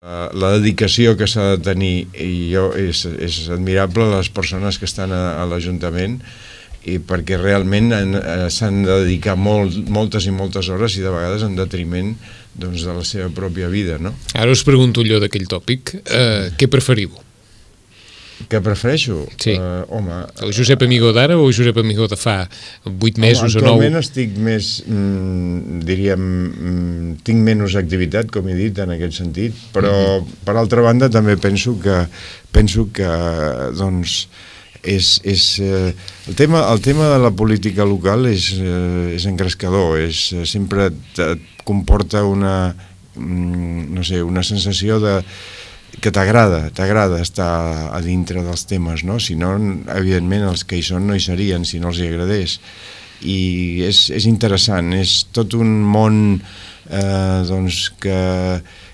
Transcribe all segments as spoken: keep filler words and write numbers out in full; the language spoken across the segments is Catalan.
La dedicació que s'ha de tenir i jo, és, és admirable les persones que estan a, a l'Ajuntament, i perquè realment s'han de dedicar molt, moltes i moltes hores i de vegades en detriment, doncs, de la seva pròpia vida, no? Ara us pregunto allò d'aquell tòpic, eh, què preferiu? Què prefereixo? Sí. Uh, home... El Josep Amigó d'ara o el Josep Amigó de fa vuit mesos o nou? Actualment estic més, mm, diríem, mm, tinc menys activitat, com he dit, en aquest sentit, però mm-hmm. per altra banda també penso que, penso que doncs, és, és, eh, el, tema, el tema de la política local és, eh, és engrescador, és, sempre et, et comporta una, mm, no sé, una sensació de que t'agrada, t'agrada estar a dintre dels temes, no? Si no, evidentment, els que hi són no hi serien, si no els hi agradés. I és, és interessant, és tot un món eh, doncs, que,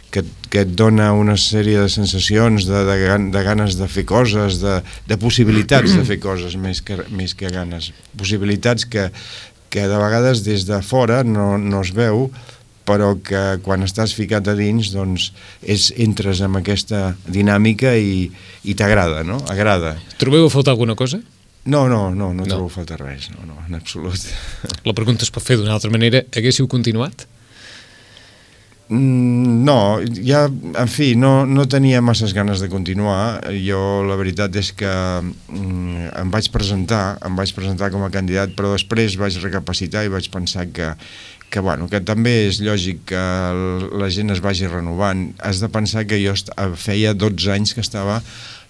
que, que et dona una sèrie de sensacions, de, de, de ganes de fer coses, de, de possibilitats de fer coses, més que, més que ganes. Possibilitats que, que de vegades des de fora no, no es veu, però que quan estàs ficat a dins, doncs, és, entres en aquesta dinàmica i, i t'agrada, no? Agrada. Trobeu a faltar alguna cosa? No, no, no, no, no. trobo a faltar res, no, no, en absolut. La pregunta es pot fer d'una altra manera. Haguéssiu continuat? Mm, no, ja, en fi, no, no tenia masses ganes de continuar. Jo, la veritat és que mm, em vaig presentar, em vaig presentar com a candidat, però després vaig recapacitar i vaig pensar que que, bueno, que també és lògic que la gent es vagi renovant. Has de pensar que jo feia dotze anys que estava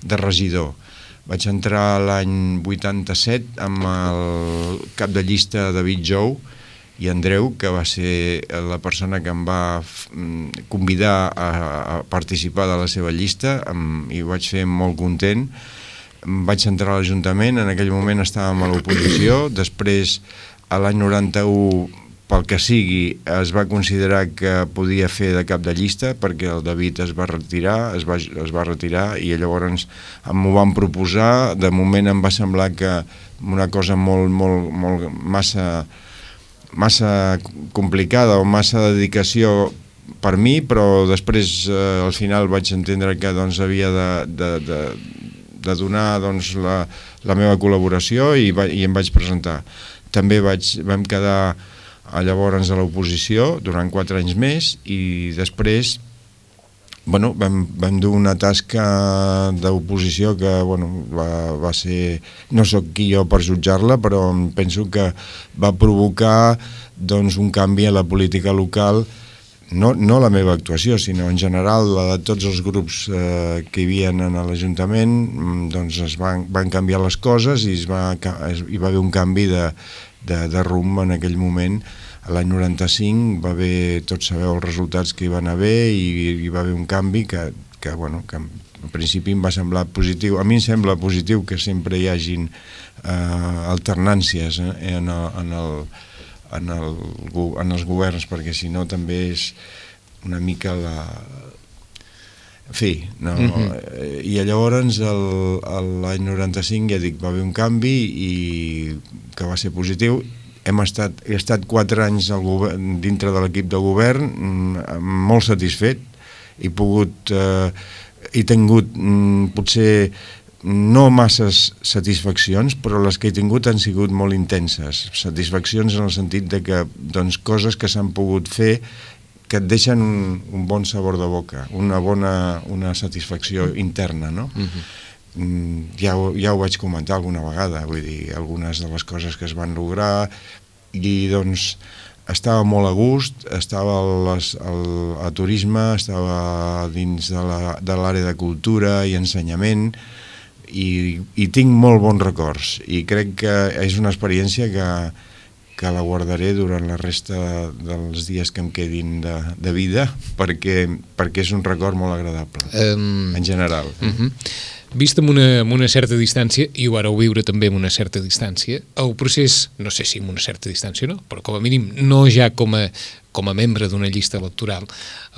de regidor. Vaig entrar l'any vuitanta-set amb el cap de llista David Jou i Andreu, que va ser la persona que em va convidar a participar de la seva llista, i ho vaig fer molt content. Vaig entrar a l'Ajuntament, en aquell moment estàvem a l'oposició, després a l'any noranta-u, pel que sigui, es va considerar que podia fer de cap de llista perquè el David es va retirar, es va, es va retirar i llavors m'ho van proposar. De moment em va semblar que una cosa molt, molt, molt massa, massa complicada o massa dedicació per mi, però després eh, al final vaig entendre que doncs, havia de, de, de, de donar doncs, la, la meva col·laboració i, va, i em vaig presentar. També vaig, vam quedar llavors a l'oposició durant quatre anys més i després bueno, vam, vam dur una tasca d'oposició que bueno, va, va ser, no sóc qui jo per jutjar-la, però penso que va provocar doncs, un canvi a la política local, no, no la meva actuació, sinó en general la de tots els grups eh, que hi havia en l'Ajuntament, doncs es van, van canviar les coses i es va, es, hi va haver un canvi de De, de rumb en aquell moment. L'any noranta-cinc va haver, tots sabeu els resultats que hi van haver i hi va haver un canvi que, que, bueno, que en principi em va semblar positiu. A mi em sembla positiu que sempre hi hagin eh, alternàncies eh, en, el, en, el, en, el, en els governs, perquè si no també és una mica la... En fi, no, uh-huh. I llavors l'any noranta-cinc, ja dic, va haver un canvi i que va ser positiu. Hem estat, he estat quatre anys al govern, dintre de l'equip de govern, molt satisfet. He pogut, eh, he tingut mm, potser no masses satisfaccions, però les que he tingut han sigut molt intenses. Satisfaccions en el sentit de que doncs, coses que s'han pogut fer que et deixen un, un bon sabor de boca, una bona una satisfacció interna, no? Uh-huh. Ja, ja ho vaig comentar alguna vegada, vull dir, algunes de les coses que es van lograr i doncs estava molt a gust, estava al, al, a turisme, estava dins de la, de l'àrea de cultura i ensenyament i, i tinc molt bons records i crec que és una experiència que que la guardaré durant la resta dels dies que em quedin de, de vida perquè, perquè és un record molt agradable, um, en general. Uh-huh. Vist amb una, amb una certa distància, i ho vareu viure també amb una certa distància, el procés, no sé si amb una certa distància no, però com a mínim no ja com a, com a membre d'una llista electoral,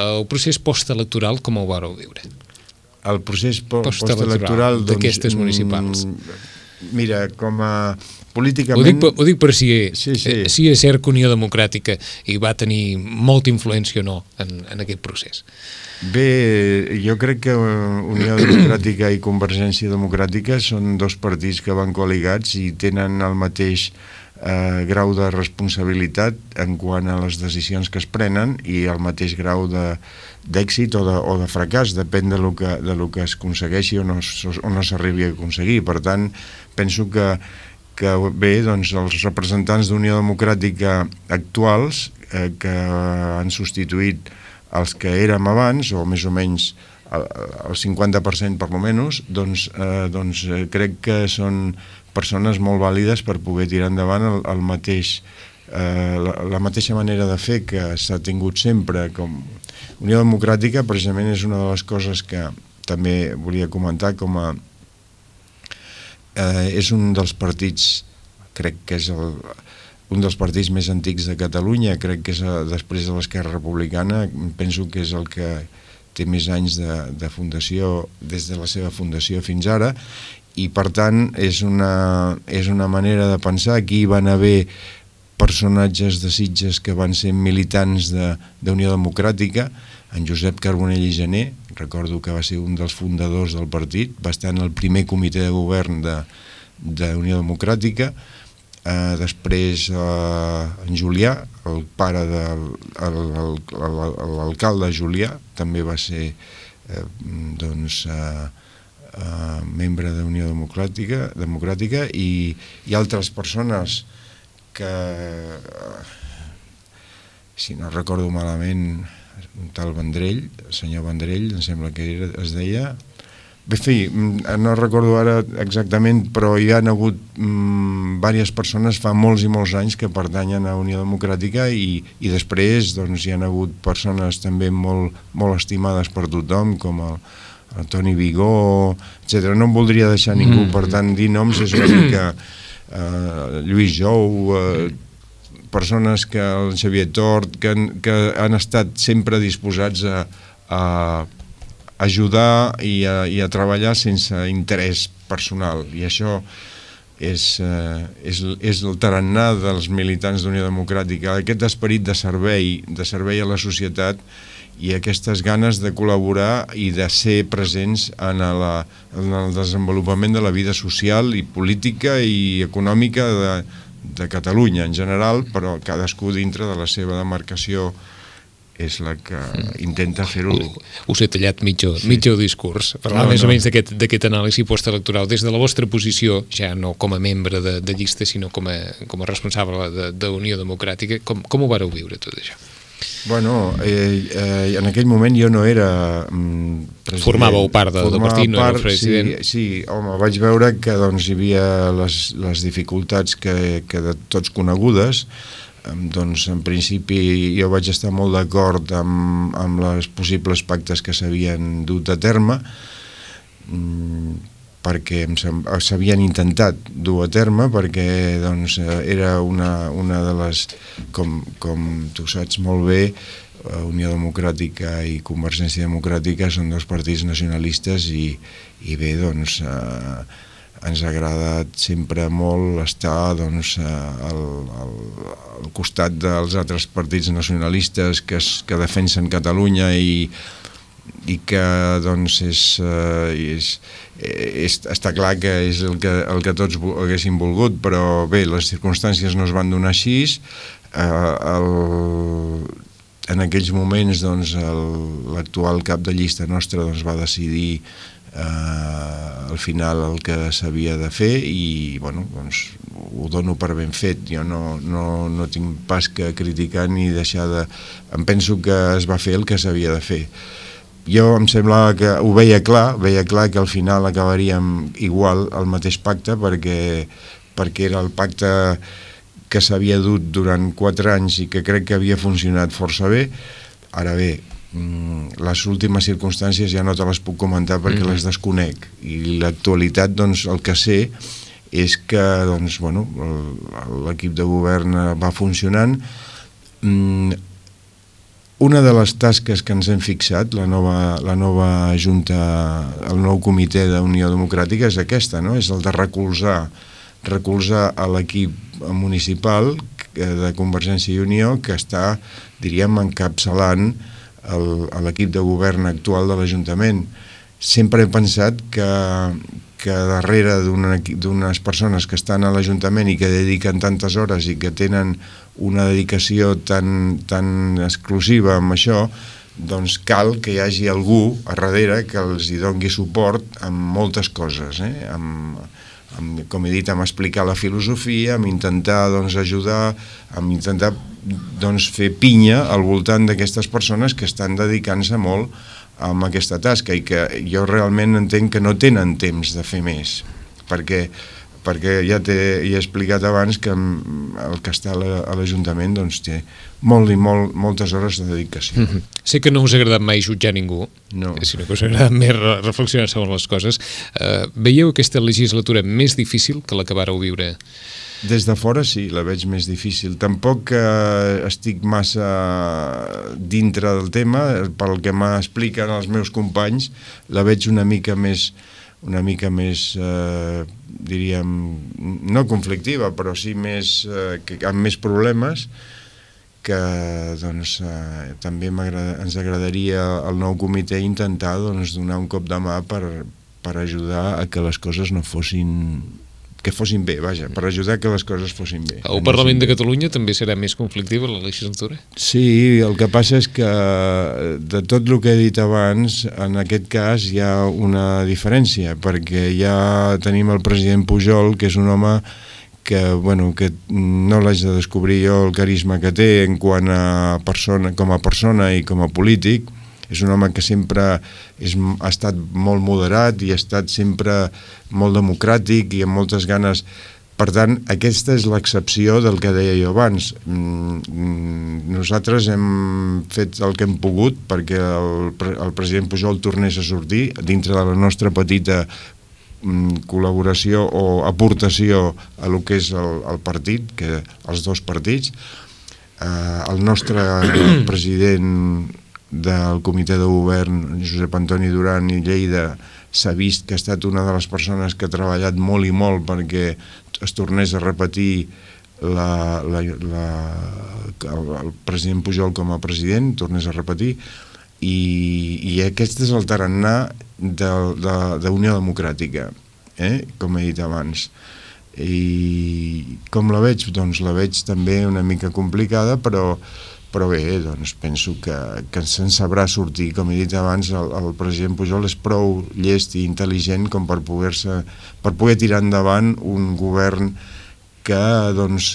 el procés postelectoral com ho vareu viure? El procés po- postelectoral doncs, d'aquestes municipals. Mira, com a políticament... Ho dic, ho dic per si, sí, sí. Eh, si és cert que Unió Democràtica hi va tenir molta influència o no en, en aquest procés. Bé, jo crec que Unió Democràtica i Convergència Democràtica són dos partits que van coligats i tenen el mateix eh, grau de responsabilitat en quant a les decisions que es prenen i el mateix grau de, d'èxit o de, o de fracàs, depèn de lo que, de lo que es aconsegueixi o no, o no s'arribi a aconseguir. Per tant, penso que, que bé, doncs, els representants d'Unió Democràtica actuals eh, que han substituït els que érem abans, o més o menys el cinquanta per cent per lo menys, doncs, eh, doncs eh, crec que són persones molt vàlides per poder tirar endavant el, el mateix, eh, la, la mateixa manera de fer que s'ha tingut sempre. Com Unió Democràtica, precisament, és una de les coses que també volia comentar com a... Eh, és un dels partits, crec que és el... un dels partits més antics de Catalunya, crec que és a, després de l'Esquerra Republicana, penso que és el que té més anys de, de fundació, des de la seva fundació fins ara, i per tant és una, és una manera de pensar. Aquí van haver personatges de Sitges que van ser militants d'Unió de, Democràtica, en Josep Carbonell i Gené, recordo que va ser un dels fundadors del partit, va estar en el primer comitè de govern d'Unió de, Democràtica. Uh, després uh, en Julià, el pare de l'alcalde Julià, també va ser uh, doncs, uh, uh, membre d'Unió Democràtica, Democràtica i, i altres persones que, uh, si no recordo malament, un tal Vendrell, el senyor Vendrell, em sembla que era, es deia... En fi, no recordo ara exactament, però hi ha hagut mm, diverses persones fa molts i molts anys que pertanyen a Unió Democràtica i, i després doncs, hi ha hagut persones també molt, molt estimades per tothom, com el, el Toni Vigó, etcètera. No em voldria deixar ningú, mm. per tant, dir noms és una mica eh, Lluís Jou, eh, persones que el Xavier Tort, que, que han estat sempre disposats a, a ajudar i a, i a treballar sense interès personal, i això és, eh, és, és el tarannà dels militants d'Unió Democràtica, aquest esperit de servei, de servei a la societat i aquestes ganes de col·laborar i de ser presents en, la, en el desenvolupament de la vida social i política i econòmica de, de Catalunya en general, però cadascú dintre de la seva demarcació és la que intenta fer-ho. Us he tallat mitja, sí. mitja discurs. Parlar no, més no. o menys d'aquest anàlisi postelectoral des de la vostra posició, ja no com a membre de, de llista, sinó com a, com a responsable d'Unió Democràtica. Com, com ho vareu viure tot això? Bueno, eh, eh, en aquell moment jo no era mm, president. Formàveu part de, del partit, no era president? Sí, sí, home, vaig veure que doncs, hi havia les, les dificultats que, que de tots conegudes. Doncs en principi jo vaig estar molt d'acord amb, amb els possibles pactes que s'havien dut a terme, perquè s'havien intentat dur a terme, perquè doncs, era una, una de les, com, com tu saps molt bé, Unió Democràtica i Convergència Democràtica són dos partits nacionalistes i, i bé, doncs... Eh, ens ha agradat sempre molt estar doncs, al, al, al costat dels altres partits nacionalistes que, es, que defensen Catalunya i, i que doncs, és, és, és, està clar que és el que, el que tots haguéssim volgut, però bé, les circumstàncies no es van donar així. Eh, el, en aquells moments doncs, l'actual cap de llista nostra doncs, va decidir Uh, al final el que s'havia de fer i bueno, doncs, ho dono per ben fet. Jo no, no, no tinc pas que criticar ni deixar de... Em penso que es va fer el que s'havia de fer. Jo em semblava que ho veia clar, veia clar que al final acabaríem igual el mateix pacte perquè, perquè era el pacte que s'havia dut durant quatre anys i que crec que havia funcionat força bé. Ara bé, les últimes circumstàncies ja no te les puc comentar perquè mm. les desconec i l'actualitat doncs el que sé és que doncs, bueno, l'equip de govern va funcionant. Una de les tasques que ens hem fixat, la nova, la nova junta, el nou comitè d'Unió Democràtica és aquesta, no? És el de recolzar, recolzar a l'equip municipal de Convergència i Unió que està, diríem, encapçalant a l'equip de govern actual de l'Ajuntament. Sempre he pensat que, que darrere d'unes persones que estan a l'Ajuntament i que dediquen tantes hores i que tenen una dedicació tan, tan exclusiva amb això, doncs cal que hi hagi algú a darrere que els hi doni suport amb moltes coses, eh? amb, amb, com he dit, amb explicar la filosofia, amb intentar doncs, ajudar, amb intentar doncs, fer pinya al voltant d'aquestes persones que estan dedicant-se molt amb aquesta tasca i que jo realment entenc que no tenen temps de fer més, perquè perquè ja t'he ja he explicat abans que el que està a l'Ajuntament doncs, té molt i molt, moltes hores de dedicació. Mm-hmm. Sé que no us ha agradat mai jutjar ningú, no. sinó que us ha agradat més reflexionar sobre les coses. Uh, veieu aquesta legislatura més difícil que la que vareu viure? Des de fora sí, la veig més difícil. Tampoc eh, estic massa dintre del tema, pel que m'expliquen els meus companys, la veig una mica més una mica més, eh, diríem, no conflictiva, però sí més, eh, que, amb més problemes, que doncs, eh, també ens agradaria al nou comitè intentar doncs, donar un cop de mà per, per ajudar a que les coses no fossin... que fossin bé, vaja, per ajudar que les coses fossin bé. El Parlament de Catalunya també serà més conflictiva la legislatura? Sí, el que passa és que de tot el que he dit abans, en aquest cas hi ha una diferència, perquè ja tenim el president Pujol, que és un home que, bueno, que no l'haig de descobrir jo el carisma que té en quant a persona, com a persona i com a polític. És un home que sempre és, ha estat molt moderat i ha estat sempre molt democràtic i amb moltes ganes. Per tant, aquesta és l'excepció del que deia jo abans. Nosaltres hem fet el que hem pogut perquè el, el president Pujol tornés a sortir dintre de la nostra petita col·laboració o aportació a lo que és el, el partit, que els dos partits. Eh, el nostre president del comitè de govern, Josep Antoni Duran i Lleida, s'ha vist que ha estat una de les persones que ha treballat molt i molt perquè es tornés a repetir la, la, la, el, el president Pujol com a president, tornés a repetir, i, i aquest és el tarannà d'Unió Democràtica, eh? Com he dit abans. I com la veig? Doncs la veig també una mica complicada, però però bé, doncs penso que, que se'n sabrà sortir. Com he dit abans, el, el president Pujol és prou llest i intel·ligent com per poder-se, per poder tirar endavant un govern que doncs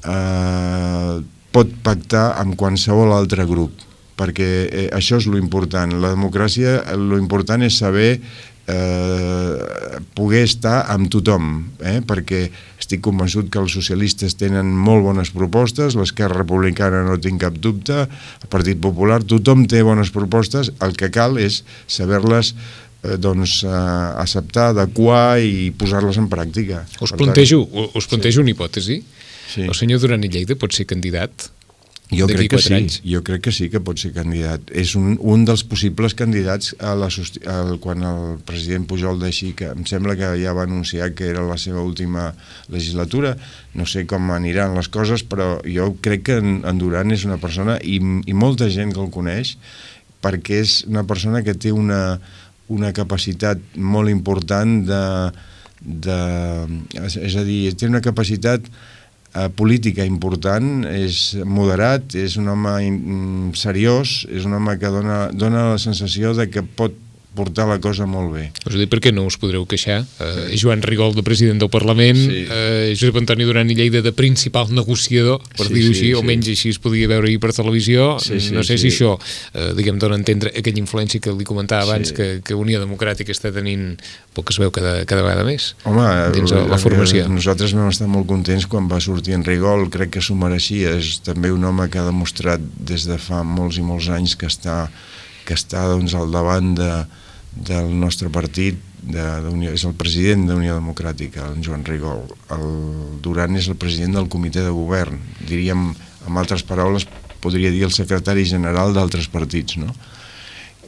eh, pot pactar amb qualsevol altre grup, perquè eh, això és lo important. La democràcia, lo important és saber eh, poder estar amb tothom, eh? Perquè estic convençut que els socialistes tenen molt bones propostes, l'Esquerra Republicana no tinc cap dubte, el Partit Popular, tothom té bones propostes, el que cal és saber-les eh, doncs, eh, acceptar, adequar i posar-les en pràctica. Us plantejo, us plantejo sí. una hipòtesi. Sí. El senyor Duran i Lleida pot ser candidat? Jo crec que sí, anys. jo crec que sí que pot ser candidat. És un, un dels possibles candidats a la, a, quan el president Pujol deixi, que em sembla que ja va anunciar que era la seva última legislatura. No sé com aniran les coses, però jo crec que en, en Duran és una persona, i, i molta gent que el coneix, perquè és una persona que té una, una capacitat molt important de, de... És a dir, té una capacitat política important, és moderat, és un home seriós, és un home que dona, dona la sensació de que pot portar la cosa molt bé. Us ho dic perquè no us podreu queixar. Uh, Joan Rigol, de president del Parlament, sí. uh, Josep Antoni Duran i Lleida, de principal negociador, per sí, dir-ho així, sí, o menys sí. Així es podia veure ahir per televisió. Sí, sí, no sé sí. si això, uh, diguem, dona a entendre aquella influència que li comentava abans, sí. que, que Unió Democràtica està tenint, pel que es veu cada, cada vegada més. Home, dins la, la formació. Nosaltres vam estar molt contents quan va sortir en Rigol, crec que s'ho mereixia. És també un home que ha demostrat des de fa molts i molts anys que està, que està doncs, al davant de del nostre partit, de, de és el president d'Unió Democràtica, en Joan Rigol. El Duran és el president del comitè de govern, diríem, amb altres paraules, podria dir el secretari general d'altres partits, no?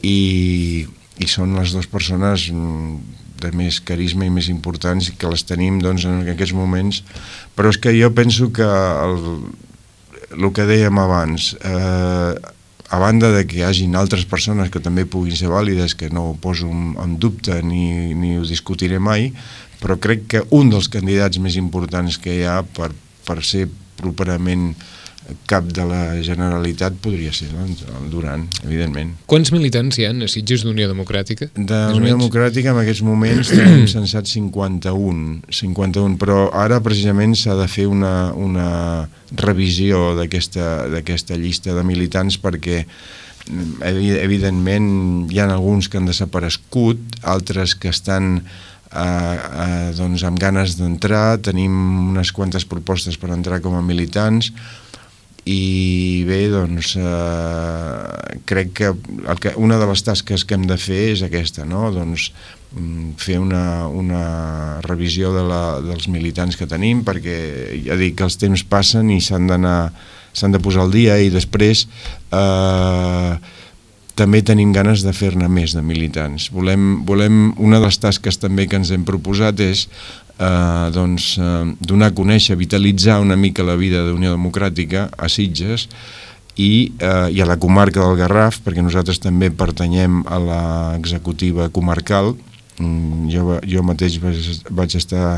I, i són les dues persones de més carisma i més importants que les tenim doncs, en aquests moments, però és que jo penso que el, el que dèiem abans, eh, a banda de que hi hagin altres persones que també puguin ser vàlides, que no ho poso en dubte ni, ni ho discutiré mai, però crec que un dels candidats més importants que hi ha per, per ser properament cap de la Generalitat podria ser, doncs, el Duran, evidentment. Quants militants hi ha a Sitges d'Unió Democràtica? De Unió Democràtica en aquests moments tenim censat cinquanta-un, cinquanta-un, però ara precisament s'ha de fer una, una revisió d'aquesta d'aquesta llista de militants perquè evidentment hi ha alguns que han desaparegut, altres que estan eh, eh, doncs amb ganes d'entrar, tenim unes quantes propostes per entrar com a militants i bé, doncs eh, crec que, el que una de les tasques que hem de fer és aquesta, no? Doncs fer una, una revisió de la, dels militants que tenim, perquè ja dic que els temps passen i s'han d'anar s'han de posar al dia i després eh, també tenim ganes de fer-ne més de militants. Volem, volem, una de les tasques també que ens hem proposat és eh, doncs, eh, donar a conèixer, vitalitzar una mica la vida d'Unió Democràtica a Sitges i, eh, i a la comarca del Garraf, perquè nosaltres també pertanyem a l'executiva comarcal. Jo, jo mateix vaig, vaig estar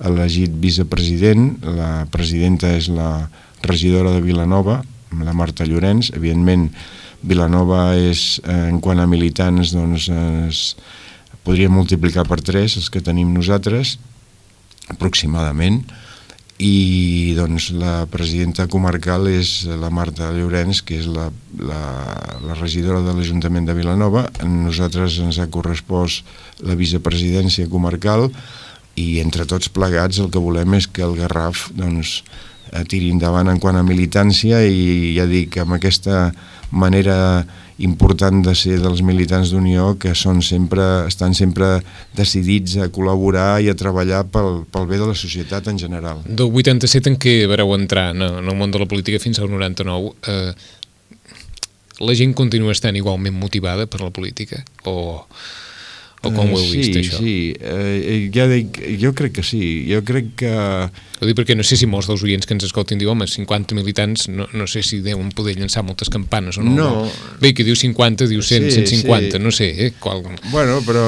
elegit vicepresident, la presidenta és la regidora de Vilanova, la Marta Llorenç. Evidentment, Vilanova és, en quant a militants, doncs, es podria multiplicar per tres els que tenim nosaltres, aproximadament, i doncs la presidenta comarcal és la Marta Llorenç, que és la, la, la regidora de l'Ajuntament de Vilanova. A nosaltres ens ha correspost la vicepresidència comarcal i entre tots plegats el que volem és que el Garraf doncs, tiri endavant en quant a militància i ja dic, amb aquesta manera important de ser dels militants d'Unió que són sempre, estan sempre decidits a col·laborar i a treballar pel, pel bé de la societat en general. Del vuitanta-set en què vareu entrar en el món de la política fins al noranta-nou, eh, la gent continua estant igualment motivada per la política? O... O com ho heu vist, sí, això? Sí, eh, ja dic, jo crec que sí. Jo crec que... Ho dic perquè no sé si molts dels oients que ens escoltin diuen home, cinquanta militants, no, no sé si deuen poder llançar moltes campanes o no. No. Bé, que diu cinquanta, diu cent, sí, cent cinquanta, sí. No sé. Eh, qual... Bueno, però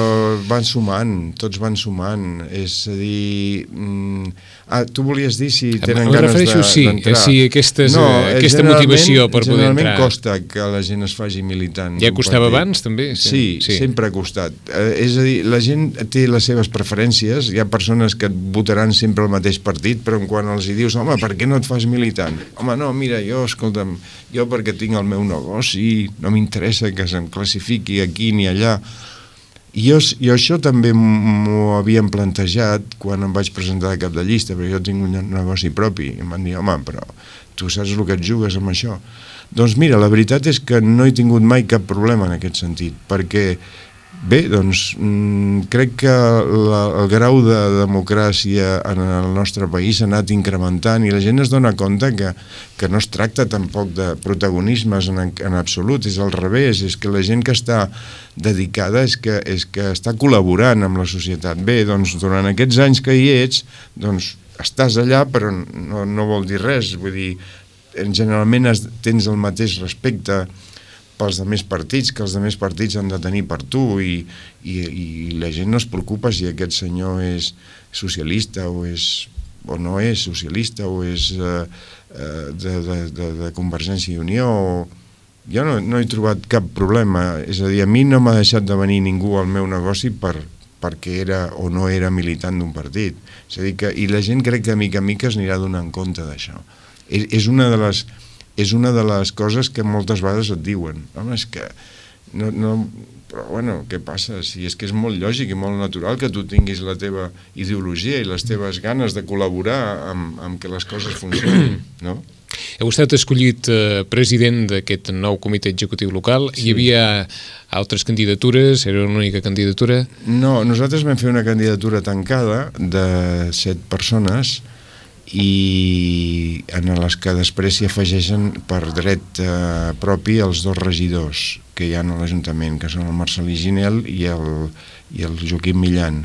van sumant, tots van sumant. És a dir... Mm, ah, tu volies dir si tenen em ganes d'entrar. Sí, sí, aquestes, no, eh, aquesta motivació per poder entrar. Generalment costa que la gent es faci militant. Ja costava abans, també? Sí, sí, sí, sempre ha costat. Eh, és a dir, la gent té les seves preferències, hi ha persones que et votaran sempre el mateix partit, però quan els hi dius, home, per què no et fas militant? Home, no, mira, jo, escolta'm, jo perquè tinc el meu negoci, no m'interessa que se'm classifiqui aquí ni allà. I jo, jo això també m'ho havíem plantejat quan em vaig presentar a cap de llista, perquè jo tinc un negoci propi, i em van dir, home, però tu saps el que et jugues amb això? Doncs mira, la veritat és que no he tingut mai cap problema en aquest sentit, perquè bé, doncs mm, crec que la, el grau de democràcia en el nostre país s'ha anat incrementant i la gent es dona compte que, que no es tracta tampoc de protagonismes en, en absolut, és al revés, és que la gent que està dedicada és que, és que està col·laborant amb la societat. Bé, doncs durant aquests anys que hi ets, doncs estàs allà però no, no vol dir res, vull dir, generalment has, tens el mateix respecte pels altres partits, que els altres partits han de tenir per tu i, i, i la gent no es preocupa si aquest senyor és socialista o, és, o no és socialista o és eh, de, de, de, de Convergència i Unió. Jo no, no he trobat cap problema, és a dir, a mi no m'ha deixat de venir ningú al meu negoci per, perquè era o no era militant d'un partit. És a dir que, i la gent crec que a mica a mica es anirà donant compte d'això. És, és una de les... és una de les coses que moltes vegades et diuen. Home, és que... No, no, però, bueno, què passa? Si és que és molt lògic i molt natural que tu tinguis la teva ideologia i les teves ganes de col·laborar amb, amb que les coses funcionin, no? Heu estat escollit eh, president d'aquest nou comitè executiu local. Sí. Hi havia altres candidatures? Era l'única candidatura? No, nosaltres vam fer una candidatura tancada de set persones i en les que després s'hi afegeixen per dret eh, propi els dos regidors que hi ha a l'Ajuntament, que són el Marcelí Ginel i el, i el Joaquim Millan.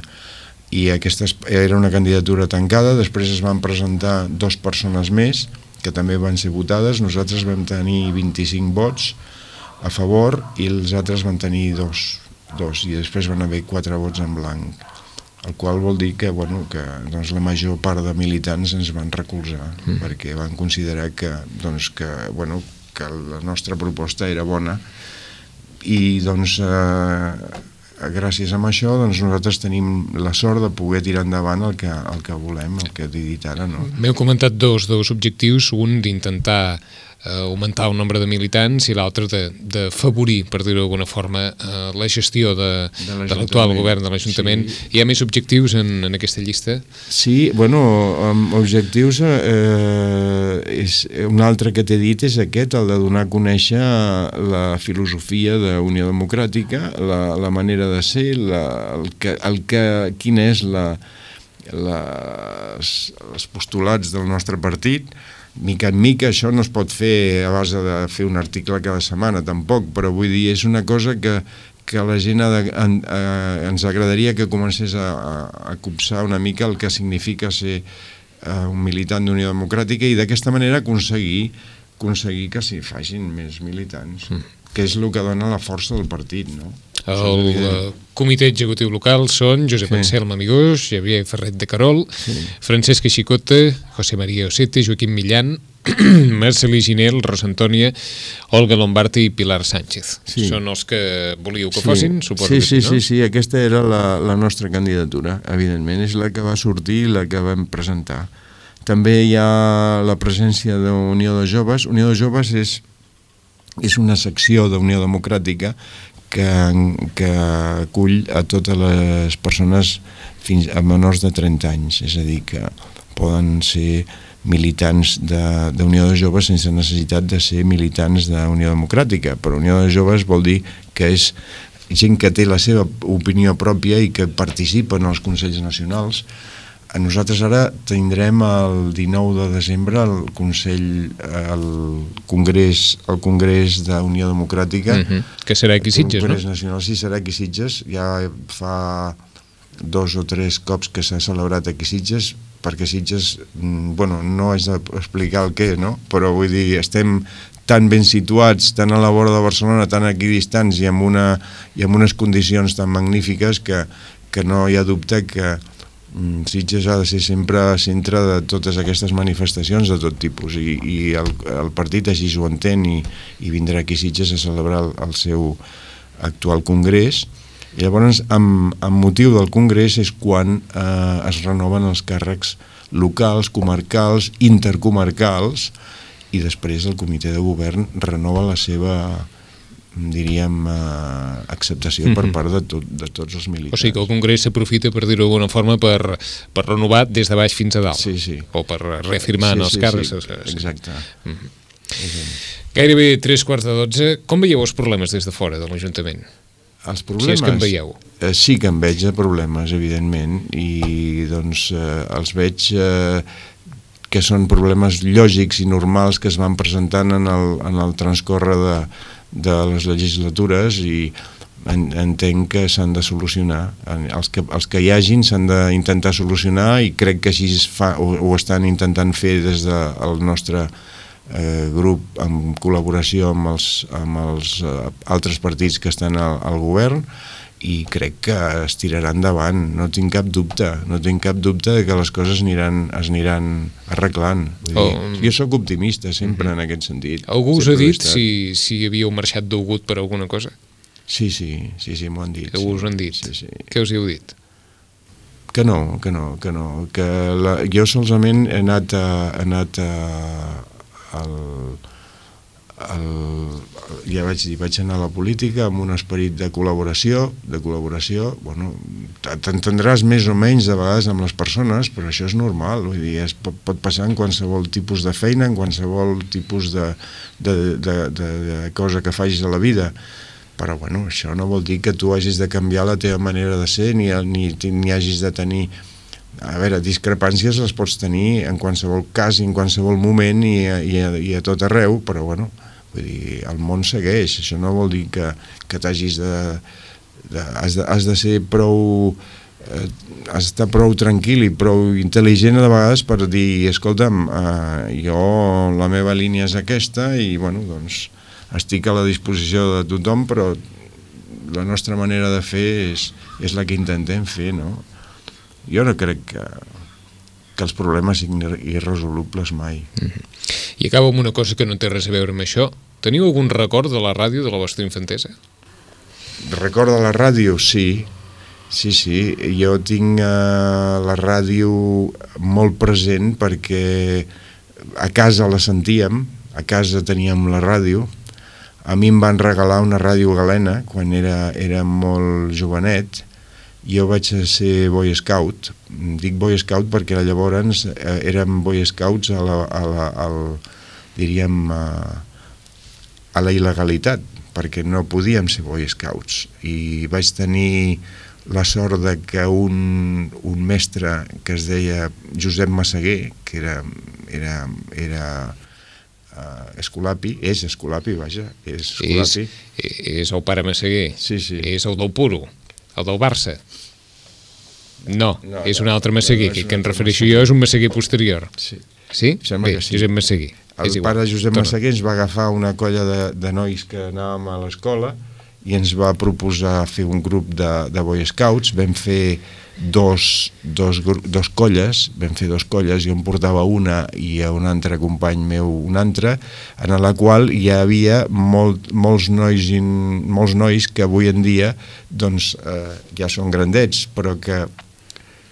I aquesta era una candidatura tancada, després es van presentar dues persones més que també van ser votades, nosaltres vam tenir vint-i-cinc vots a favor i els altres van tenir dos, dos i després van haver quatre vots en blanc, el qual vol dir que, bueno, que doncs, la major part de militants ens van recolzar mm. perquè van considerar que, doncs, que, bueno, que la nostra proposta era bona i doncs eh, gràcies a això doncs, nosaltres tenim la sort de poder tirar endavant el que, el que volem, el que he dit ara. No? M'heu comentat dos, dos objectius, un d'intentar eh, augmentar el nombre de militants i l'altre d'afavorir, per dir-ho d'alguna forma, eh, la gestió de, de l'actual govern de l'Ajuntament. Sí. Hi ha més objectius en, en aquesta llista? Sí, bueno, objectius, eh, és, un altre que t'he dit és aquest, el de donar a conèixer la filosofia d'Unió Democràtica, la, la manera de ser, la, el que, el que, quina és la, les, els postulats del nostre partit. Mica en mica això no es pot fer a base de fer un article cada setmana tampoc, però vull dir, és una cosa que, que la gent ha de, en, eh, ens agradaria que comencés a, a, a copsar una mica el que significa ser eh, un militant d'Unió Democràtica i d'aquesta manera aconseguir, aconseguir que s'hi facin més militants, mm. que és el que dona la força del partit, no? El uh, comitè executiu local són Josep sí. Anselm Amigós, Xavier Ferret de Carol, sí. Francesc Xicota, José María Osete, Joaquim Millán, Marcelí Ginel, Rosa Antònia, Olga Lombardi i Pilar Sánchez. Sí. Són els que volíeu que sí. fossin, suposo sí, que sí, sí, no? Sí, sí, aquesta era la, la nostra candidatura, evidentment, és la que va sortir i la que vam presentar. També hi ha la presència d'Unió de Joves. Unió de Joves és, és una secció d'Unió Democràtica que, que acull a totes les persones fins a menors de trenta anys, és a dir, que poden ser militants d'Unió de, de Joves sense necessitat de ser militants d'Unió Democràtica, però Unió de Joves vol dir que és gent que té la seva opinió pròpia i que participa en els Consells Nacionals. A nosaltres ara tindrem el dinou de desembre el Consell, el Congrés, el Congrés d'Unió Democràtica, uh-huh. que serà aquí Sitges, no? El Congrés Nacional, sí, serà aquí Sitges. Ja fa dos o tres cops que s'ha celebrat aquí Sitges, perquè Sitges, bueno, no haig d'explicar el què, no? Però vull dir, estem tan ben situats, tan a la vora de Barcelona, tan equidistants i amb, una, i amb unes condicions tan magnífiques que, que no hi ha dubte que Sitges ha de ser sempre centre de totes aquestes manifestacions de tot tipus i, i el, el partit així ho entén i, i vindrà aquí Sitges a celebrar el, el seu actual congrés i llavors amb, amb motiu del congrés és quan eh, es renoven els càrrecs locals, comarcals, intercomarcals i després el comitè de govern renova la seva diríem, eh, acceptació mm-hmm. per part de, tot, de tots els militants. O sigui que el Congrés s'aprofita, per dir-ho d'alguna forma, per, per renovar des de baix fins a dalt. Sí, sí. O per reafirmar sí, en els sí, càrrecs. Sí, sí. Exacte. Mm-hmm. Gairebé tres quarts de dotze. Com veieu els problemes des de fora de l'Ajuntament? Els problemes? Si és que en veieu. Eh, sí que en veig de problemes, evidentment, i doncs eh, els veig eh, que són problemes lògics i normals que es van presentant en el, en el transcorre de de les legislatures i en, entenc que s'han de solucionar. Els que, els que hi hagin s'han d'intentar solucionar i crec que així es fa, ho, ho estan intentant fer des del nostre eh, grup en col·laboració amb els, amb els eh, altres partits que estan al, al govern i crec que es tirarà endavant, no tinc cap dubte, no tinc cap dubte de que les coses aniran, es aniran arreglant. Vull dir, oh. Jo sóc optimista sempre mm-hmm. en aquest sentit. Algú us ha dit si, si havíeu marxat d'Ugut per alguna cosa? Sí, sí, sí, sí m'ho han dit. Algú sí. us ho han dit? Sí, sí. Què us hi heu dit? Que no, que no, que no. Que la, jo solament he anat a... He anat a al, el, ja vaig dir, vaig anar a la política amb un esperit de col·laboració, de col·laboració, bueno, t'entendràs més o menys de vegades amb les persones, però això és normal, vull dir, es pot, pot passar en qualsevol tipus de feina, en qualsevol tipus de, de, de, de, de cosa que facis a la vida, però bueno, això no vol dir que tu hagis de canviar la teva manera de ser, ni, ni, ni hagis de tenir... A veure, discrepàncies les pots tenir en qualsevol cas, en qualsevol moment i, i, i a tot arreu, però bueno, vull dir, el món segueix, això no vol dir que, que t'hagis de, de, has de... Has de ser prou... Eh, has d'estar prou tranquil i prou intel·ligent de vegades per dir, escolta'm, eh, jo la meva línia és aquesta i bueno, doncs estic a la disposició de tothom, però la nostra manera de fer és, és la que intentem fer, no? Jo no crec que, que els problemes siguin irresolubles mai. Mm-hmm. I acabo amb una cosa que no té res a veure amb això. Teniu algun record de la ràdio de la vostra infantesa? Record de la ràdio? Sí. Sí, sí. Jo tinc eh, la ràdio molt present perquè a casa la sentíem, a casa teníem la ràdio. A mi em van regalar una ràdio galena quan era, era molt jovenet. Jo vaig ser Boy Scout. Dic Boy Scout perquè llavors eh, érem Boy Scouts a la, a la, al, diríem, a, a la il·legalitat, perquè no podíem ser Boy Scouts. I vaig tenir la sort de que un, un mestre que es deia Josep Massaguer, que era, era, era uh, Escolapi, és Escolapi, vaja, és Escolapi. És, és el pare Massaguer. Sí, sí. És el del Puro, el del Barça. No, no és un altre Massaguer, no, no que, que em refereixo jo és un Massaguer posterior. Sí. Sí? Sembla Bé, que sí. Josep Massaguer. El pare Josep Massaguer ens va agafar una colla de, de nois que anàvem a l'escola i ens va proposar fer un grup de, de Boy Scouts. Vam fer dos, dos, dos colles, vam fer dos colles, jo em portava una i a un altre company meu una altra, en la qual hi havia molt, molts, nois in, molts nois que avui en dia doncs, eh, ja són grandets, però que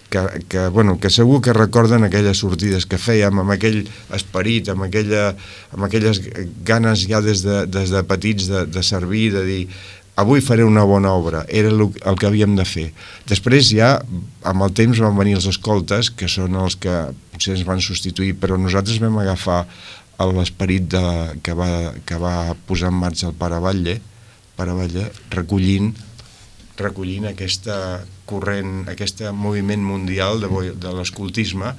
Que, que, bueno, que segur que recorden aquelles sortides que fèiem amb aquell esperit, amb, aquella, amb aquelles ganes ja des de, des de petits de, de servir, de dir avui faré una bona obra, era el, el que havíem de fer. Després ja, amb el temps van venir els escoltes, que són els que potser ens van substituir, però nosaltres vam agafar l'esperit de, que, va, que va posar en marxa el Pare Batlle, Pare Batlle recollint recollint aquesta corrent, aquest moviment mundial de, de l'escoltisme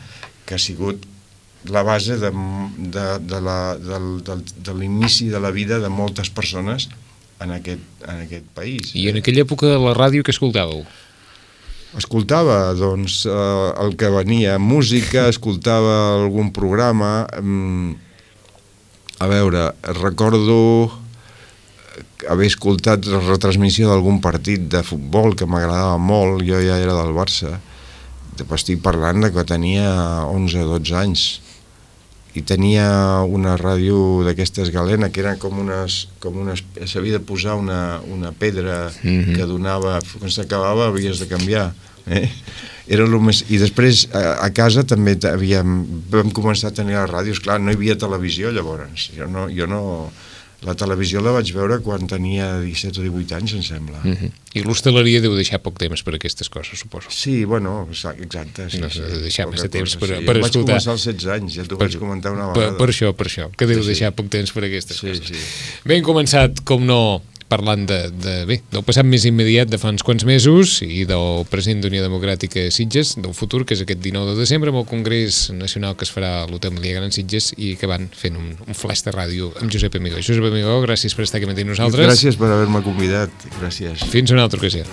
que ha sigut la base de, de, de, la, de, de, de l'inici de la vida de moltes persones en aquest, en aquest país. I en aquella època la ràdio que escoltàveu? Escoltava, doncs, eh, el que venia, música, escoltava algun programa. A veure, recordo haver escoltat la retransmissió d'algun partit de futbol que m'agradava molt, jo ja era del Barça, estic parlant de que tenia onze o dotze anys, i tenia una ràdio d'aquestes galena que eren com unes, com unes s'havia de posar una, una pedra mm-hmm. que donava, quan s'acabava havies de canviar, eh? Era el més... I després a, a casa també havíem, vam començar a tenir les ràdios, clar, no hi havia televisió llavors, jo no... Jo no la televisió la vaig veure quan tenia disset o divuit anys, em sembla. Mm-hmm. I l'hostaleria deu deixar poc temps per aquestes coses, suposo. Sí, bueno, exacte. Sí, no, sí, deu deixar massa temps per, sí. per Jo escoltar. vaig començar als setze anys, ja t'ho vaig comentar una Per, vegada. per això, per això, que deu sí, deixar sí. poc temps per aquestes sí, coses. Sí. Bé, hem començat, com no, parlant de, de, bé, del passat més immediat de fa uns quants mesos i del present d'Unió Democràtica Sitges, del futur, que és aquest dinou de desembre, amb el Congrés Nacional que es farà a l'Hotel Melià Gran Sitges i que van fent un, un flash de ràdio amb Josep Amigó. Josep Amigó, gràcies per estar aquí amb nosaltres. Gràcies per haver-me convidat, gràcies. Fins una altra ocasió.